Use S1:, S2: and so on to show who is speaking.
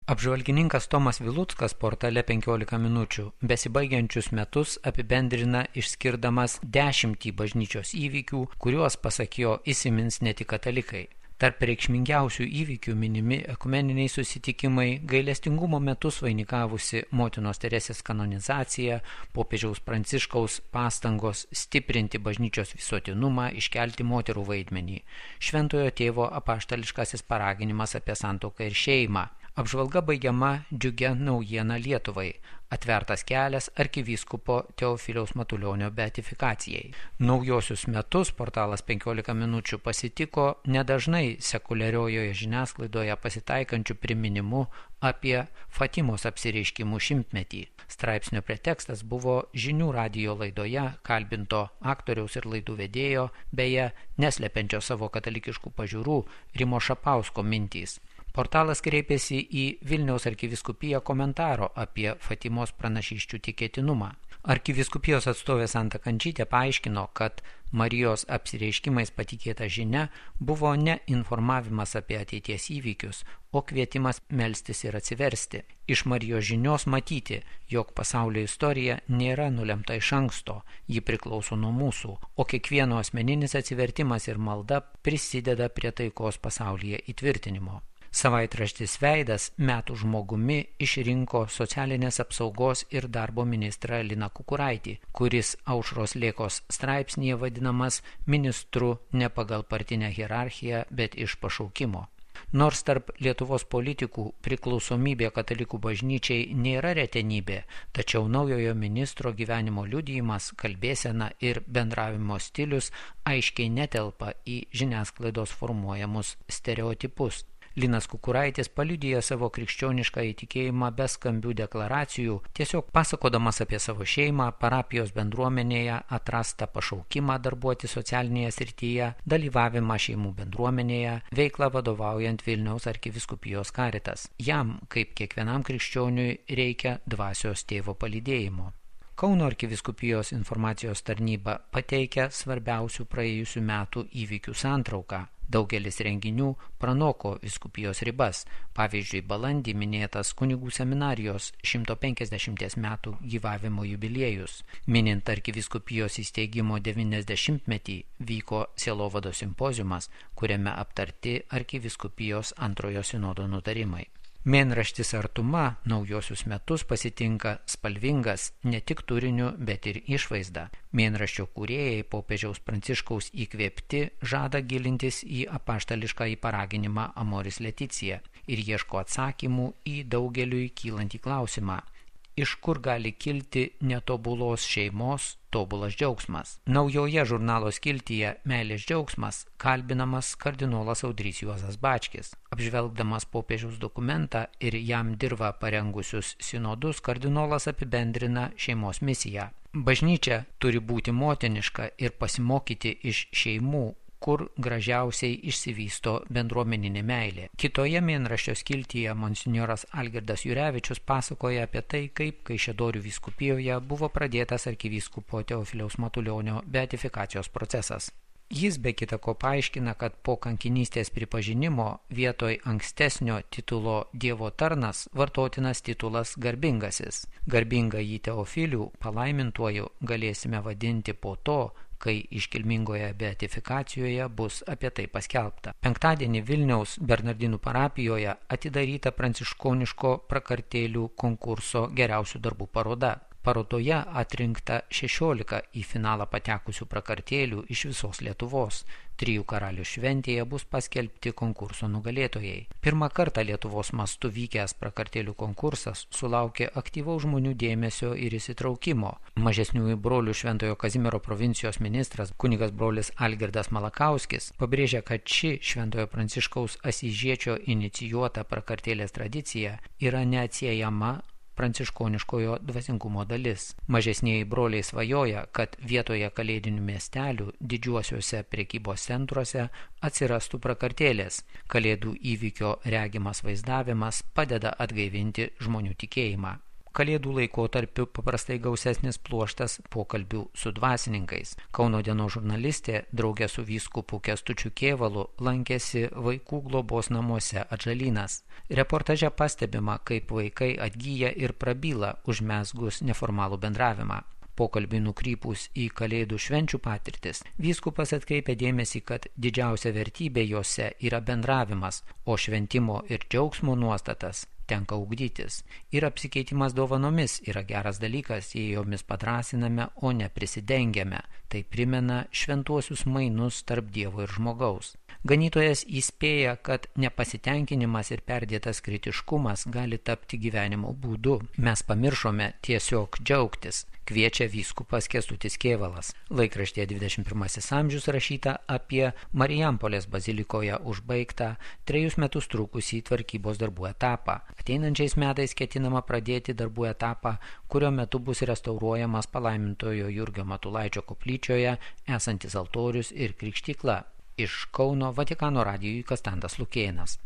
S1: Apžvalgininkas Tomas Viluckas portale 15 minučių besibaigiančius metus apibendrina išskirdamas 10 bažnyčios įvykių, kuriuos, pasak jo, įsimins ne tik katalikai. Tarp reikšmingiausių įvykių minimi ekumeniniai susitikimai, gailestingumo metus vainikavusi motinos Teresės kanonizacija, popiežiaus Pranciškaus pastangos stiprinti bažnyčios visuotinumą, iškelti moterų vaidmenį, šventojo tėvo apaštališkasis paraginimas apie santuoką ir šeimą. Apžvalga baigiama džiugia naujiena Lietuvai – atvertas kelias arkivyskupo Teofiliaus Matulionio beatifikacijai. Naujosius metus portalas 15 minučių pasitiko nedažnai sekuliariojoje žiniasklaidoje pasitaikančių priminimu apie Fatimos apsireiškimų 100-metį. Straipsnio pretekstas buvo žinių radijo laidoje kalbinto aktoriaus ir laidų vedėjo, beje, neslepiančio savo katalikiškų pažiūrų Rimo Šapausko mintys. Portalas kreipėsi į Vilniaus arkivyskupija komentaro apie Fatimos pranašysčių tikėtinumą. Arkivyskupijos atstovė Santa Kančytė paaiškino, kad Marijos apsireiškimais patikėta žinia buvo ne informavimas apie ateities įvykius, o kvietimas melstis ir atsiversti. Iš Marijos žinios matyti, jog pasaulio istorija nėra nulemta iš anksto, ji priklauso nuo mūsų, o kiekvieno asmeninis atsivertimas ir malda prisideda prie taikos pasaulyje įtvirtinimo. Savaitraštis Veidas metų žmogumi išrinko socialinės apsaugos ir darbo ministrą Liną Kukuraitį, kuris Aušros Lėkos straipsnyje vadinamas ministru ne pagal partinę hierarchiją, bet iš pašaukimo. Nors tarp Lietuvos politikų priklausomybė katalikų bažnyčiai nėra retenybė, tačiau naujojo ministro gyvenimo liudijimas, kalbėsena ir bendravimo stilius aiškiai netelpa į žiniasklaidos formuojamus stereotipus. Linas Kukuraitis paliudija savo krikščionišką įtikėjimą be skambių deklaracijų, tiesiog pasakodamas apie savo šeimą, parapijos bendruomenėje atrastą pašaukimą darbuoti socialinėje srityje, dalyvavimą šeimų bendruomenėje, veiklą vadovaujant Vilniaus arkivyskupijos Caritas. Jam, kaip kiekvienam krikščioniui, reikia dvasios tėvo palydėjimo. Kauno arkivyskupijos informacijos tarnyba pateikia svarbiausių praėjusių metų įvykių santrauką. Daugelis renginių pranoko vyskupijos ribas. Pavyzdžiui, balandį minėtas kunigų seminarijos 150 metų gyvavimo jubiliejus. Minint arkivyskupijos įsteigimo 90-metį vyko sielovados simpoziumas, kuriame aptarti arkivyskupijos antrojo sinodo nutarimai. Mėnraštis Artuma naujosius metus pasitinka spalvingas ne tik turiniu, bet ir išvaizda. Mėnraščio kūrėjai popiežiaus Pranciškaus įkvėpti žada gilintis į apaštališką paraginimą Amoris Leticia ir ieško atsakymų į daugeliui kylantį klausimą. Iš kur gali kilti netobulos šeimos tobulas džiaugsmas? Naujoje žurnalo skiltyje Meilės džiaugsmas kalbinamas kardinolas Audrys Juozas Bačkis. Apžvelgdamas popiežiaus dokumentą ir jam dirvą parengusius sinodus, kardinolas apibendrina šeimos misiją. Bažnyčia turi būti motiniška ir pasimokyti iš šeimų, kur gražiausiai išsivysto bendruomeninė meilė. Kitoje mėnraščio skiltyje monsinjoras Algirdas Jurevičius pasakoja apie tai, kaip Kaišiadorių vyskupijoje buvo pradėtas arkivyskupo Teofiliaus Matulionio beatifikacijos procesas. Jis be kita ko paaiškina, kad po kankinystės pripažinimo vietoj ankstesnio titulo Dievo tarnas vartotinas titulas garbingasis. Garbingąjį Teofilių palaimintuoju galėsime vadinti po to, kai iškilmingoje beatifikacijoje bus apie tai paskelbta. Penktadienį Vilniaus Bernardinų parapijoje atidaryta pranciškoniško prakartėlių konkurso geriausių darbų paroda. Parodoje atrinkta 16 į finalą patekusių prakartėlių iš visos Lietuvos. 3 karalių šventėje bus paskelbti konkurso nugalėtojai. Pirmą kartą Lietuvos mastu vykęs prakartėlių konkursas sulaukė aktyvaus žmonių dėmesio ir įsitraukimo. Mažesniųjų brolių Šventojo Kazimiero provincijos ministras kunigas brolis Algirdas Malakauskis pabrėžia, kad ši Šventojo Pranciškaus Asyžiečio inicijuota prakartėlės tradicija yra neatsiejama pranciškoniškojo dvasingumo dalis. Mažesnieji broliai svajoja, kad vietoje kalėdinių miestelių didžiuosiuose prekybos centruose atsirastų prakartėlės. Kalėdų įvykio regimas vaizdavimas padeda atgaivinti žmonių tikėjimą. Kalėdų laikotarpiu paprastai gausesnis pluoštas pokalbių su dvasininkais. Kauno dienos žurnalistė draugė su vyskupu Kęstučiu Kėvalu lankėsi vaikų globos namuose Atžalynas. Reportaže pastebima, kaip vaikai atgyja ir prabyla užmezgus neformalų bendravimą. Pokalbį nukrypus į kalėdų švenčių patirtis, vyskupas atkreipia dėmesį, kad didžiausia vertybė jose yra bendravimas, o šventimo ir džiaugsmo nuostatas tenka ugdytis. Ir apsikeitimas dovanomis yra geras dalykas, jei jomis padrąsiname, o ne prisidengiame. Tai primena šventuosius mainus tarp Dievo ir žmogaus. Ganytojas įspėja, kad nepasitenkinimas ir perdėtas kritiškumas gali tapti gyvenimo būdu. Mes pamiršome tiesiog džiaugtis, kviečia vyskupas Kęstutis Kėvalas. Laikraštyje 21 amžius rašyta apie Marijampolės bazilikoje užbaigtą 3 metus trukusį tvarkybos darbų etapą. Ateinančiais metais ketinama pradėti darbų etapą, kurio metu bus restauruojamas palaimintojo Jurgio Matulaičio koplyčioje esantis altorius ir krikštykla. Iš Kauno Vatikano radijui Konstantas Lukėnas.